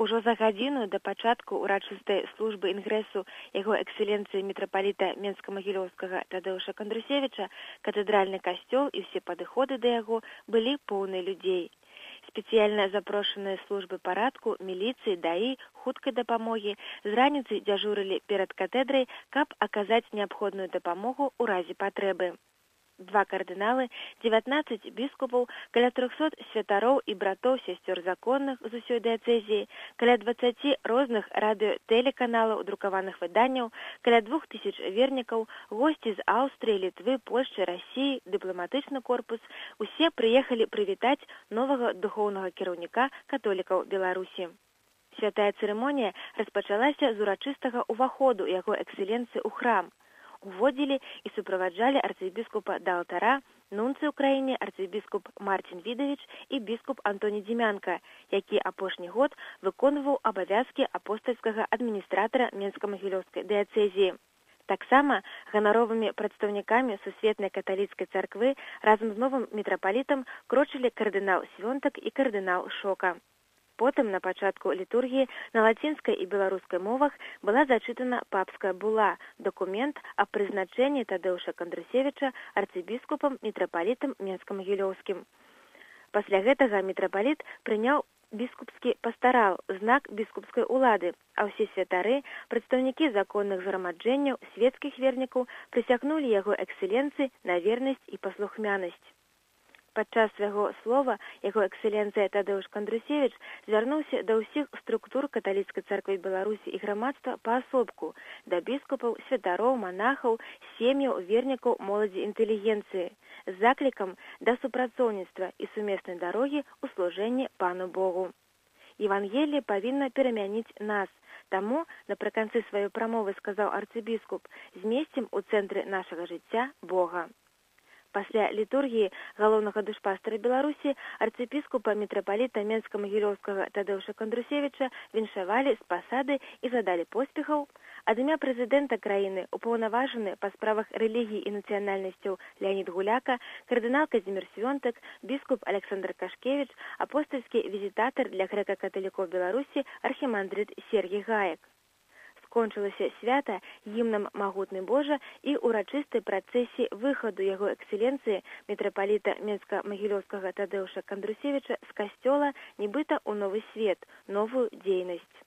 Ужо за гадзіну да пачатку ўрачыстай службы інгрэсу яго эксцэленцыі мітрапаліта Менска-Магілёўскага Тадеуша Кандрусевіча катэдральны касцёл і ўсе падыходы да яго былі поўны людзей. Спецыяльна запрошаныя службы парадку, міліцыі, даі, хуткай дапамогі з раніцы дзяжурылі перад катедрай, каб аказаць неабходную дапамогу ў разе патрэбы. 2 кардыналы, 19 біскупаў, каля 300 святароў і братоў сясцёр законных з усёй дыяцэзіі, каля 20 розных радыё-тэлеканалаў, друкаваных выданняў, каля 2000 вернікаў, госці з Аўстрыі, Літвы, Польшчы, Расіі, дыпламатычны корпус, усе прыехалі прывітаць новага духоўнага кіраўніка католікаў Беларусі. Святая цырымонія распачалася з урачыстага ўваходу яго эксцэленцыі ў храм. Уводзілі і суправаджалі арцыбіскупа да алтара, нунцый у краіне арцыбіскуп Марцін Відавіч і біскуп Антоній Дзімянка, які апошні год выконваў абавязкі апостальскага адміністратара Менска-Магілёўскай дыяцэзіі. Таксама ганаровымі прадстаўнікамі сусветнай каталіцкай царквы разам з новым мітрапалітам крочылі кардынал Свёнтак і кардынал Шока. Потым на пачатку літургіі на лацінскай і беларускай мовах была зачытана папская була, дакумент аб прызначэнні Тадеуша Кандрусевіча арцыбіскупам мітрапалітам Менска-Магілёўскім. Пасля гэтага мітрапаліт прыняў біскупскі пастарал, знак біскупскай улады, а ўсе святары, прадстаўнікі законных зграмаджэнняў, свецкіх вернікаў прысягнулі яго эксцэленцыі на вернасць і паслухмянасць. Падчас свайго слова яго эксцэленцыя Тадеуш Кандрусевіч звярнуўся да ўсіх структур каталіцкай царквы Беларусі і грамадства паасобку, да біскупаў, святароў, манахаў, сем'яў, вернікаў, моладзі інтэлігенцыі, з заклікам да супрацоўніцтва і сумеснай дарогі ў служэнні Пану Богу. Евангеліе павінна перамяніць нас. Таму напрыканцы сваёй прамовы сказаў арцыбіскуп: «Змесцім у цэнтры нашага жыцця Бога». Пасля літургіі галоўнага душпастара Беларусі арцыбіскупа мітрапаліта Менска-Магілёўскага Тадеуша Кандрусевіча віншавалі з пасады і задалі поспехаў. Ад імя прэзідэнта краіны упаўнаважаны па справах рэлігіі і нацыянальнасцяў Леанід Гуляка, кардынал Казімір Свёнтак, біскуп Александр Кашкевіч, апостальскі візітатар для грэка-каталікоў Беларусі архімандрыт Сергій Гаек. Скончылася свята гімнам «Магутны Божа» і ўрачыстай працэсіі выхаду яго эксцэленцыі мітрапаліта Менска-Магілёўскага Тадеуша Кандрусевіча з касцёла нібыта ў новы свет, новую дзейнасць.